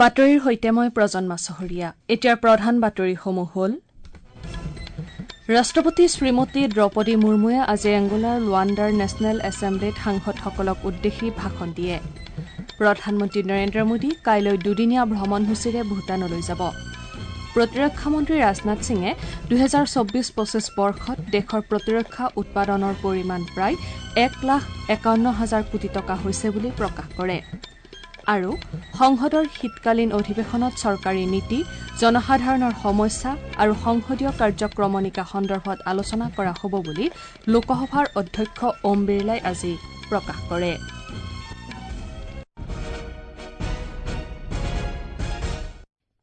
বাতৰিৰ সৈতে মই প্ৰজন্মা চহৰীয়া। এতিয়াৰ প্ৰধান বাতৰিসমূহ হ'ল: ৰাষ্ট্ৰপতি শ্ৰীমতী দ্ৰৌপদী মুৰ্মুৱে আজি এংগোলাৰ লুৱাণ্ডাৰ নেশ্যনেল এছেম্বলিত সাংসদসকলক উদ্দেশ্যি ভাষণ দিয়ে। প্ৰধানমন্ত্ৰী নৰেন্দ্ৰ মোদী কাইলৈ দুদিনীয়া ভ্ৰমণসূচীৰে ভূটানলৈ যাব। প্ৰতিৰক্ষা মন্ত্ৰী ৰাজনাথ সিঙে 2024-25 বৰ্ষত দেশৰ প্ৰতিৰক্ষা উৎপাদনৰ পৰিমাণ প্ৰায় 1,51,000 কোটি টকা হৈছে বুলি প্ৰকাশ কৰে। আৰু সংসদৰ শীতকালীন অধিৱেশনত চৰকাৰী নীতি, জনসাধাৰণৰ সমস্যা আৰু সংসদীয় কাৰ্যক্ৰমণিকা সন্দৰ্ভত আলোচনা কৰা হ'ব বুলি লোকসভাৰ অধ্যক্ষ ওম বিৰলাই আজি প্ৰকাশ কৰে।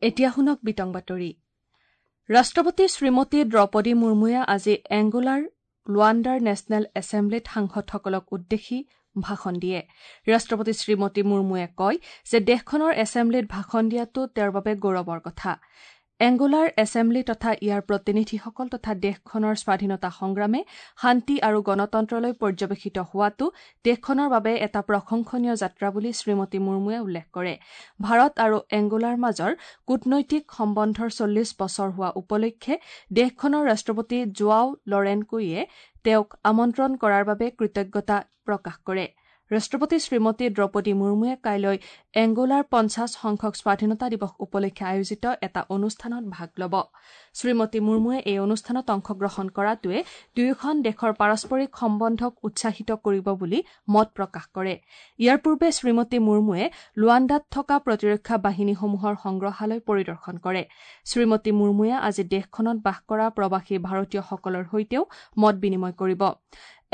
এতিয়া শুনক বিতং বাতৰি। ৰাষ্ট্ৰপতি শ্ৰীমতী দ্ৰৌপদী মুৰ্মুৱে আজি এংগোলাৰ লুৱাণ্ডাৰ নেশ্যনেল এছেম্বলিত সাংসদসকলক উদ্দেশ্যি ভাষণ দিয়ে। ৰাষ্ট্ৰপতি শ্ৰীমতী মুৰ্মুৱে কয় যে দেশখনৰ এছেম্বলিত ভাষণ দিয়াটো তেওঁৰ বাবে গৌৰৱৰ কথা। এংগোলাৰ এছেম্বলি তথা ইয়াৰ প্ৰতিনিধিসকল তথা দেশখনৰ স্বাধীনতা সংগ্ৰামে শান্তি আৰু গণতন্ত্ৰলৈ পৰ্যবেক্ষিত হোৱাটো দেশখনৰ বাবে এটা প্ৰশংসনীয় যাত্ৰা বুলি শ্ৰীমতী মুৰ্মুৱে উল্লেখ কৰে। ভাৰত আৰু এংগোলাৰ মাজৰ কূটনৈতিক সম্বন্ধৰ 40 বছৰ হোৱা উপলক্ষে দেশখনৰ ৰাষ্ট্ৰপতি জোৱাও লৰেনকোইয়ে তেওঁক আমন্ত্ৰণ কৰাৰ বাবে কৃতজ্ঞতা প্ৰকাশ কৰে। ৰাষ্ট্ৰপতি শ্ৰীমতী দ্ৰৌপদী মুৰ্মুৱে কাইলৈ এংগোলাৰ 50 সংখ্যক স্বাধীনতা দিৱস উপলক্ষে আয়োজিত এটা অনুষ্ঠানত ভাগ ল'ব। শ্ৰীমতী মুৰ্মুৱে এই অনুষ্ঠানত অংশগ্ৰহণ কৰাটোৱে দুয়োখন দেশৰ পাৰস্পৰিক সম্বন্ধক উৎসাহিত কৰিব বুলি মত প্ৰকাশ কৰে। ইয়াৰ পূৰ্বে শ্ৰীমতী মুৰ্মুৱে লুৱাণ্ডাত থকা প্ৰতিৰক্ষা বাহিনীসমূহৰ সংগ্ৰহালয় পৰিদৰ্শন কৰে। শ্ৰীমতী মুৰ্মুৱে আজি দেশখনত বাস কৰা প্ৰৱাসী ভাৰতীয়সকলৰ সৈতেও মত বিনিময় কৰিব।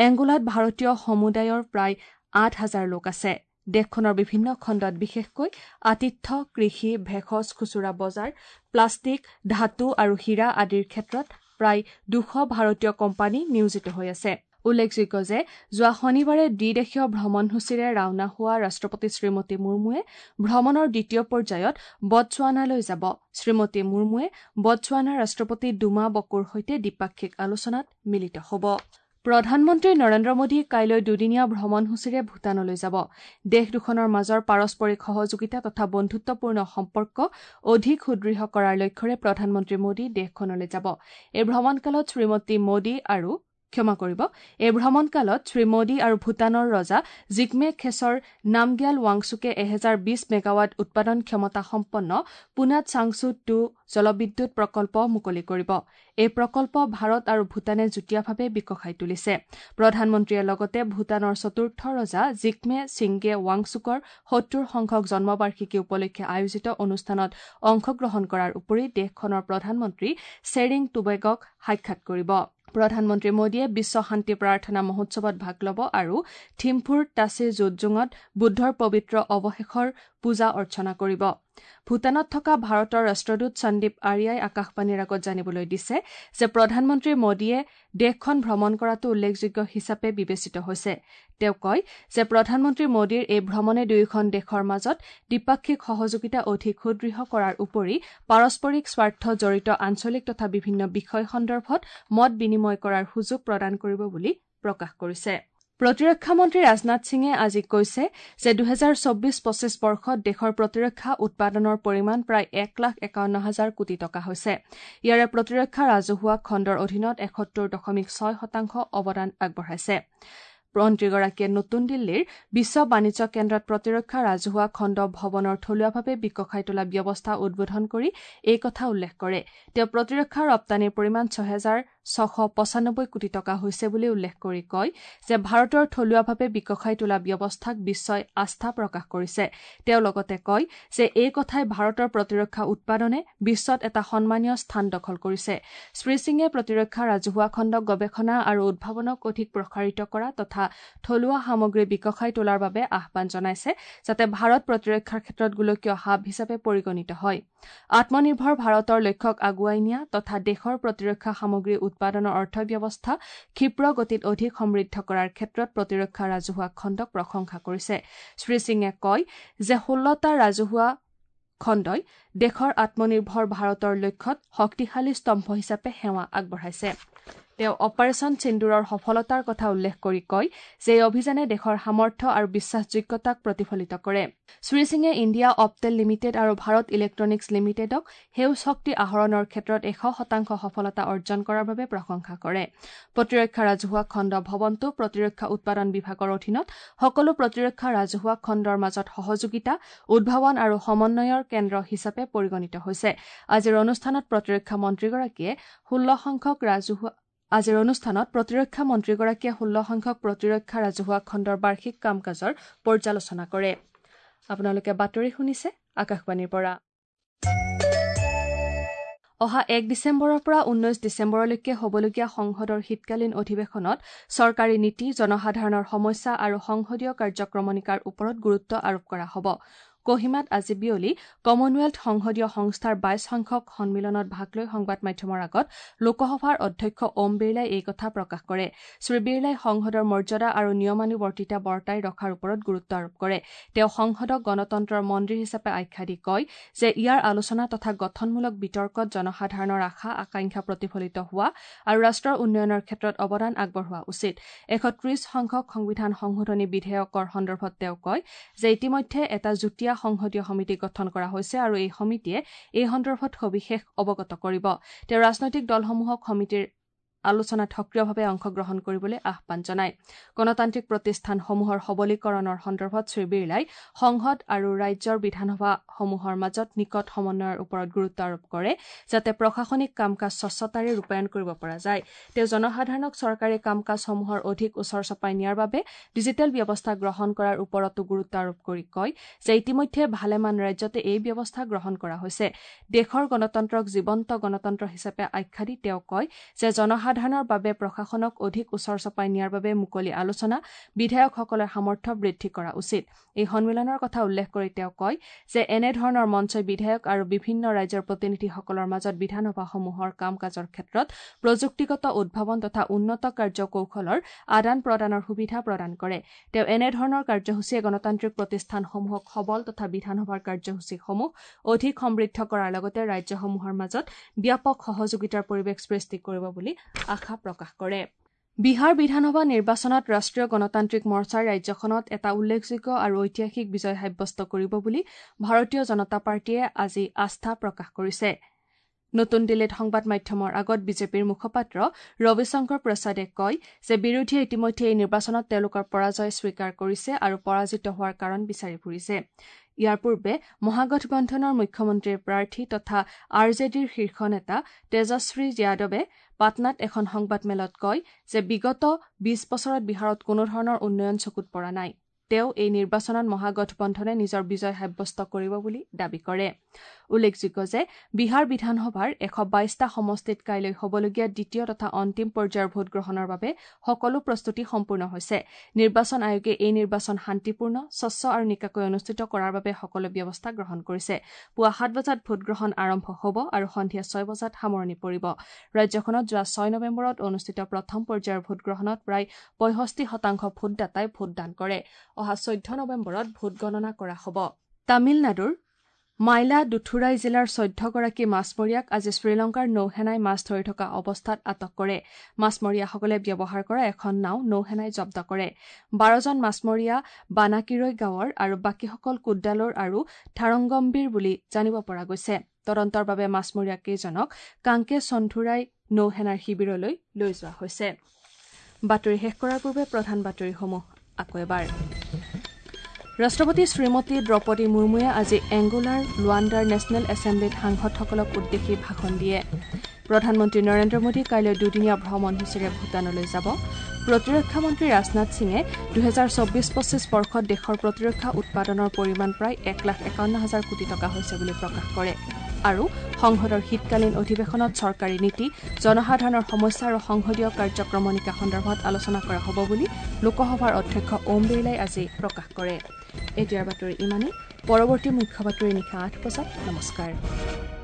এংগোলাত ভাৰতীয় সমুদায়ৰ প্ৰায় 8,000 লোক আছে। দেশখনৰ বিভিন্ন খণ্ডত বিশেষকৈ আতিথ্য, কৃষি, ভেষজ, খুচুৰা বজাৰ, প্লাষ্টিক, ধাতু আৰু হীৰা আদিৰ ক্ষেত্ৰত প্ৰায় 200 ভাৰতীয় কোম্পানী নিয়োজিত হৈ আছে। উল্লেখযোগ্য যে যোৱা শনিবাৰে দ্বিদেশীয় ভ্ৰমণসূচীৰে ৰাওনা হোৱা ৰাষ্ট্ৰপতি শ্ৰীমতী মুৰ্মুৱে ভ্ৰমণৰ দ্বিতীয় পৰ্যায়ত বটছৱানালৈ যাব। শ্ৰীমতী মুৰ্মুৱে বটছৱানাৰ ৰাষ্ট্ৰপতি ডুমা বকোৰ সৈতে দ্বিপাক্ষিক আলোচনাত মিলিত হ'ব। প্ৰধানমন্ত্ৰী নৰেন্দ্ৰ মোদী কাইলৈ দুদিনীয়া ভ্ৰমণসূচীৰে ভূটানলৈ যাব। দেশ দুখনৰ মাজৰ পাৰস্পৰিক সহযোগিতা তথা বন্ধুত্বপূৰ্ণ সম্পৰ্ক অধিক সুদৃঢ় কৰাৰ লক্ষ্যৰে প্ৰধানমন্ত্ৰী মোদী দেশখনলৈ যাব। এই ভ্ৰমণকালত শ্ৰী মোদী আৰু ভূটানৰ ৰজা জিগমে খেছৰ নামগ্যাল ৱাংচুকে 1020 মেগাৱাট উৎপাদন ক্ষমতা সম্পন্ন পুনাত চাংচু 2 জলবিদ্যুৎ প্ৰকল্প মুকলি কৰিব। এই প্ৰকল্প ভাৰত আৰু ভূটানে যুটীয়াভাৱে বিকশাই তুলিছে। প্ৰধানমন্ত্ৰীয়ে লগতে ভূটানৰ চতুৰ্থ ৰজা জিগমে ছিংগে ৱাংচুকৰ 70 সংখ্যক জন্মবাৰ্ষিকী উপলক্ষে আয়োজিত অনুষ্ঠানত অংশগ্ৰহণ কৰাৰ উপৰি দেশখনৰ প্ৰধানমন্ত্ৰী চেৰিং টুবেগক সাক্ষাৎ কৰিব। প্ৰধানমন্ত্ৰী মোদীয়ে বিশ্ব শান্তি প্ৰাৰ্থনা মহোৎসৱত ভাগ ল'ব আৰু থিম্ফুৰ তাচি জোটজুঙত বুদ্ধৰ পবিত্ৰ অৱশেষৰ পূজা অৰ্চনা কৰিব। ভূটানত থকা ভাৰতৰ ৰাষ্ট্ৰদূত সন্দীপ আৰিয়াই আকাশবাণীৰ আগত জানিবলৈ দিছে যে প্ৰধানমন্ত্ৰী মোদীয়ে দেশখন ভ্ৰমণ কৰাটো উল্লেখযোগ্য হিচাপে বিবেচিত হৈছে। তেওঁ কয় যে প্ৰধানমন্ত্ৰী মোদীৰ এই ভ্ৰমণে দুয়োখন দেশৰ মাজত দ্বিপাক্ষিক সহযোগিতা অধিক সুদৃঢ় কৰাৰ উপৰি পাৰস্পৰিক স্বাৰ্থ জড়িত আঞ্চলিক তথা বিভিন্ন বিষয় সন্দৰ্ভত মত বিনিময় কৰাৰ সুযোগ প্ৰদান কৰিব বুলি প্ৰকাশ কৰিছে। প্ৰতিৰক্ষা মন্ত্ৰী ৰাজনাথ সিঙে আজি কৈছে যে 2024-25 বৰ্ষত দেশৰ প্ৰতিৰক্ষা উৎপাদনৰ পৰিমাণ প্ৰায় 1,51,000 কোটি টকা হৈছে। ইয়াৰে প্ৰতিৰক্ষা ৰাজহুৱা খণ্ডৰ অধীনত 71.6% অৱদান আগবঢ়াইছে। মন্ত্ৰীগৰাকীয়ে নতুন দিল্লীৰ বিশ্ব বাণিজ্য কেন্দ্ৰত প্ৰতিৰক্ষা ৰাজহুৱা খণ্ড ভৱনৰ থলুৱাভাৱে বিকশাই তোলা ব্যৱস্থা উদ্বোধন কৰি এই কথা উল্লেখ কৰে। তেওঁ প্ৰতিৰক্ষা ৰপ্তানিৰ পৰিমাণ 6,695 কোটি টকা হৈছে বুলি উল্লেখ কৰি কয় যে ভাৰতৰ থলুৱাভাৱে বিকশাই তোলা ব্যৱস্থাক বিশ্বই আস্থা প্ৰকাশ কৰিছে। তেওঁ লগতে কয় যে এই কথাই ভাৰতৰ প্ৰতিৰক্ষা উৎপাদনে বিশ্বত এটা সন্মানীয় স্থান দখল কৰিছে। শ্ৰী সিঙে প্ৰতিৰক্ষা ৰাজহুৱা খণ্ডক গৱেষণা আৰু উদ্ভাৱনক অধিক প্ৰসাৰিত কৰা তথা থলুৱা সামগ্ৰী বিকশাই তোলাৰ বাবে আহ্বান জনাইছে, যাতে ভাৰত প্ৰতিৰক্ষাৰ ক্ষেত্ৰত গোলকীয় হাব হিচাপে পৰিগণিত হয়। আত্মনিৰ্ভৰ ভাৰতৰ লক্ষ্যক আগুৱাই নিয়া তথা দেশৰ প্ৰতিৰক্ষা সামগ্ৰী উৎপাদনৰ অৰ্থব্যৱস্থা ক্ষীপ্ৰ গতিত অধিক সমৃদ্ধ কৰাৰ ক্ষেত্ৰত প্ৰতিৰক্ষা ৰাজহুৱা খণ্ডক প্ৰশংসা কৰিছে। শ্ৰী সিঙে কয় যে 16টা ৰাজহুৱা খণ্ডই দেশৰ আত্মনিৰ্ভৰ ভাৰতৰ লক্ষ্যত শক্তিশালী স্তম্ভ হিচাপে সেৱা আগবঢ়াইছে। তেওঁ অপাৰেচন সিন্দুৰৰ সফলতাৰ কথা উল্লেখ কৰি কয় যে এই অভিযানে দেশৰ সামৰ্থ্য আৰু বিশ্বাসযোগ্যতাক প্ৰতিফলিত কৰে। শ্ৰী সিঙে ইণ্ডিয়া অপটেল লিমিটেড আৰু ভাৰত ইলেক্ট্ৰনিক্স লিমিটেডক সেউজ শক্তি আহৰণৰ ক্ষেত্ৰত 100% সফলতা অৰ্জন কৰাৰ বাবে প্ৰশংসা কৰে। প্ৰতিৰক্ষা ৰাজহুৱা খণ্ড ভৱনটো প্ৰতিৰক্ষা উৎপাদন বিভাগৰ অধীনত সকলো প্ৰতিৰক্ষা ৰাজহুৱা খণ্ডৰ মাজত সহযোগিতা, উদ্ভাৱন আৰু সমন্বয়ৰ কেন্দ্ৰ হিচাপে পৰিগণিত হৈছে। আজিৰ অনুষ্ঠানত প্ৰতিৰক্ষা মন্ত্ৰীগৰাকীয়ে 16 সংখ্যক প্ৰতিৰক্ষা ৰাজহুৱা খণ্ডৰ বাৰ্ষিক কাম কাজৰ পৰ্যালোচনা কৰে। আপোনালোকে বাতৰি শুনিছে আকাশবাণীৰ পৰা। অহা 1 ডিচেম্বৰৰ পৰা 19 ডিচেম্বৰলৈকে হ'বলগীয়া সংসদৰ শীতকালীন অধিৱেশনত চৰকাৰী নীতি, জনসাধাৰণৰ সমস্যা আৰু সংসদীয় কাৰ্যক্ৰমণিকাৰ ওপৰত গুৰুত্ব আৰোপ কৰা হ'ব। কহিমাত আজি বিয়লি কমনৱেলথ সংসদীয় সংস্থাৰ 22 সংখ্যক সন্মিলনত ভাগ লৈ সংবাদ মাধ্যমৰ আগত লোকসভাৰ অধ্যক্ষ ওম বিৰলাই এই কথা প্ৰকাশ কৰে। শ্ৰী বিৰলাই সংসদৰ মৰ্যাদা আৰু নিয়মানুৱৰ্তিতা বৰ্তাই ৰখাৰ ওপৰত গুৰুত্ব আৰোপ কৰে। তেওঁ সংসদক গণতন্ত্ৰৰ মন্দিৰ হিচাপে আখ্যা দি কয় যে ইয়াৰ আলোচনা তথা গঠনমূলক বিতৰ্কত জনসাধাৰণৰ আশা আকাংক্ষা প্ৰতিফলিত হোৱা আৰু ৰাষ্ট্ৰৰ উন্নয়নৰ ক্ষেত্ৰত অৱদান আগবঢ়োৱা উচিত। 130 সংখ্যক সংবিধান সংশোধনী বিধেয়কৰ সন্দৰ্ভত তেওঁ কয় যে ইতিমধ্যে এটা যুটীয়া সংসদীয় সমিতি গঠন কৰা হৈছে আৰু এই সমিতিয়ে এই সন্দৰ্ভত সবিশেষ অৱগত কৰিব। তেওঁ ৰাজনৈতিক দলসমূহক সমিতিৰ আলোচনাত সক্ৰিয়ভাৱে অংশগ্ৰহণ কৰিবলৈ আহ্বান জনায়। গণতান্ত্ৰিক প্ৰতিষ্ঠানসমূহৰ সবলীকৰণৰ সন্দৰ্ভত শ্ৰী বিৰলাই সংসদ আৰু ৰাজ্যৰ বিধানসভাসমূহৰ মাজত নিকট সমন্বয়ৰ ওপৰত গুৰুত্ব আৰোপ কৰে, যাতে প্ৰশাসনিক কাম কাজ স্বচ্ছতাৰে ৰূপায়ণ কৰিব পৰা যায়। তেওঁ জনসাধাৰণক চৰকাৰী কাম কাজসমূহৰ অধিক ওচৰ চপাই নিয়াৰ বাবে ডিজিটেল ব্যৱস্থা গ্ৰহণ কৰাৰ ওপৰতো গুৰুত্ব আৰোপ কৰি কয় যে ইতিমধ্যে ভালেমান ৰাজ্যতে এই ব্যৱস্থা গ্ৰহণ কৰা হৈছে। দেশৰ গণতন্ত্ৰক জীৱন্ত গণতন্ত্ৰ হিচাপে আখ্যা দি তেওঁ কয় যে জনসাধাৰণৰ বাবে প্ৰশাসনক অধিক ওচৰ চপাই নিয়াৰ বাবে মুকলি আলোচনা, বিধায়কসকলৰ সামৰ্থ্য বৃদ্ধি কৰা উচিত। এই সন্মিলনৰ কথা উল্লেখ কৰি তেওঁ কয় যে এনেধৰণৰ মঞ্চই বিধায়ক আৰু বিভিন্ন ৰাজ্যৰ প্ৰতিনিধিসকলৰ মাজত বিধানসভাসমূহৰ কাম কাজৰ ক্ষেত্ৰত প্ৰযুক্তিগত উদ্ভাৱন তথা উন্নত কাৰ্য কৌশলৰ আদান প্ৰদানৰ সুবিধা প্ৰদান কৰে। তেওঁ এনেধৰণৰ কাৰ্যসূচীয়ে গণতান্ত্ৰিক প্ৰতিষ্ঠানসমূহক সবল তথা বিধানসভাৰ কাৰ্যসূচীসমূহ অধিক সমৃদ্ধ কৰাৰ লগতে ৰাজ্যসমূহৰ মাজত ব্যাপক সহযোগিতাৰ পৰিৱেশ সৃষ্টি কৰিব বুলি আশা প্ৰকাশ কৰে। বিহাৰ বিধানসভা নিৰ্বাচনত ৰাষ্ট্ৰীয় গণতান্ত্ৰিক মৰ্চাই ৰাজ্যখনত এটা উল্লেখযোগ্য আৰু ঐতিহাসিক বিজয় সাব্যস্ত কৰিব বুলি ভাৰতীয় জনতা পাৰ্টীয়ে আজি আস্থা প্ৰকাশ কৰিছে। নতুন দিল্লীত সংবাদ মাধ্যমৰ আগত বিজেপিৰ মুখপাত্ৰ ৰবিশংকৰ প্ৰসাদে কয় যে বিৰোধীয়ে ইতিমধ্যে এই নিৰ্বাচনত তেওঁলোকৰ পৰাজয় স্বীকাৰ কৰিছে আৰু পৰাজিত হোৱাৰ কাৰণ বিচাৰি ফুৰিছে। ইয়াৰ পূৰ্বে মহাগঠবন্ধনৰ মুখ্যমন্ত্ৰীৰ প্ৰাৰ্থী তথা আৰ জে ডিৰ শীৰ্ষ নেতা তেজস্বী যাদৱে পাটনাত এখন সংবাদমেলত কয় যে বিগত 20 বছৰত বিহাৰত কোনোধৰণৰ উন্নয়ন চকুত পৰা নাই। তেওঁ এই নিৰ্বাচনত মহাগঠবন্ধনে নিজৰ বিজয় সাব্যস্ত কৰিব বুলি দাবী কৰে। উল্লেখযোগ্য যে বিহাৰ বিধানসভাৰ 122টা সমষ্টিত কাইলৈ হ'বলগীয়া দ্বিতীয় তথা অন্তিম পৰ্যায়ৰ ভোটগ্ৰহণৰ বাবে সকলো প্ৰস্তুতি সম্পূৰ্ণ হৈছে। নিৰ্বাচন আয়োগে এই নিৰ্বাচন শান্তিপূৰ্ণ, স্বচ্ছ আৰু নিকাকৈ অনুষ্ঠিত কৰাৰ বাবে সকলো ব্যৱস্থা গ্ৰহণ কৰিছে। পুৱা 7 বজাত ভোটগ্ৰহণ আৰম্ভ হ'ব আৰু সন্ধিয়া 6 বজাত সামৰণি পৰিব। ৰাজ্যখনত যোৱা 6 নৱেম্বৰত অনুষ্ঠিত প্ৰথম পৰ্যায়ৰ ভোটগ্ৰহণত প্ৰায় 65% ভোটদাতাই ভোটদান কৰে। অহা 14 নৱেম্বৰত ভোটগণনা কৰা হ'ব। তামিলনাডুৰ মাইলাদুথুৰাই জিলাৰ 14গৰাকী মাছমৰীয়াক আজি শ্ৰীলংকাৰ নৌসেনাই মাছ ধৰি থকা অৱস্থাত আটক কৰে। মাছমৰীয়াসকলে ব্যৱহাৰ কৰা এখন নাও নৌসেনাই জব্দ কৰে। 12জন মাছমৰীয়া বানাকিৰৈ গাঁৱৰ আৰু বাকীসকল কুড্ডালোৰ আৰু থাৰংগম্বীৰ বুলি জানিব পৰা গৈছে। তদন্তৰ বাবে মাছমৰীয়া কেইজনক কাংকে সন্ধুৰাই নৌসেনাৰ শিবিৰলৈ লৈ যোৱা হৈছে। বাতৰি শেষ কৰাৰ পূৰ্বে প্ৰধান বাতৰিসমূহ আকৌ এবাৰ। ৰাষ্ট্ৰপতি শ্ৰীমতী দ্ৰৌপদী মুৰ্মুৱে আজি এংগোলাৰ লুৱাণ্ডাৰ নেশ্যনেল এছেম্বলিত সাংসদসকলক উদ্দেশ্যি ভাষণ দিয়ে। প্ৰধানমন্ত্ৰী নৰেন্দ্ৰ মোদী কাইলৈ দুদিনীয়া ভ্ৰমণসূচীৰে ভূটানলৈ যাব। প্ৰতিৰক্ষা মন্ত্ৰী ৰাজনাথ সিঙে 2024-25 বৰ্ষত দেশৰ প্ৰতিৰক্ষা উৎপাদনৰ পৰিমাণ প্ৰায় 1,51,000 কোটি টকা হৈছে বুলি প্ৰকাশ কৰে। আৰু সংসদৰ শীতকালীন অধিৱেশনত চৰকাৰী নীতি, জনসাধাৰণৰ সমস্যা আৰু সংসদীয় কাৰ্যক্ৰমণিকা সন্দৰ্ভত আলোচনা কৰা হ'ব বুলি লোকসভাৰ অধ্যক্ষ ওম বিৰলাই আজি প্ৰকাশ কৰে। এতিয়াৰ বাতৰি ইমানেই। পৰৱৰ্তী মুখ্য বাতৰি নিশা 8 বজাত। নমস্কাৰ।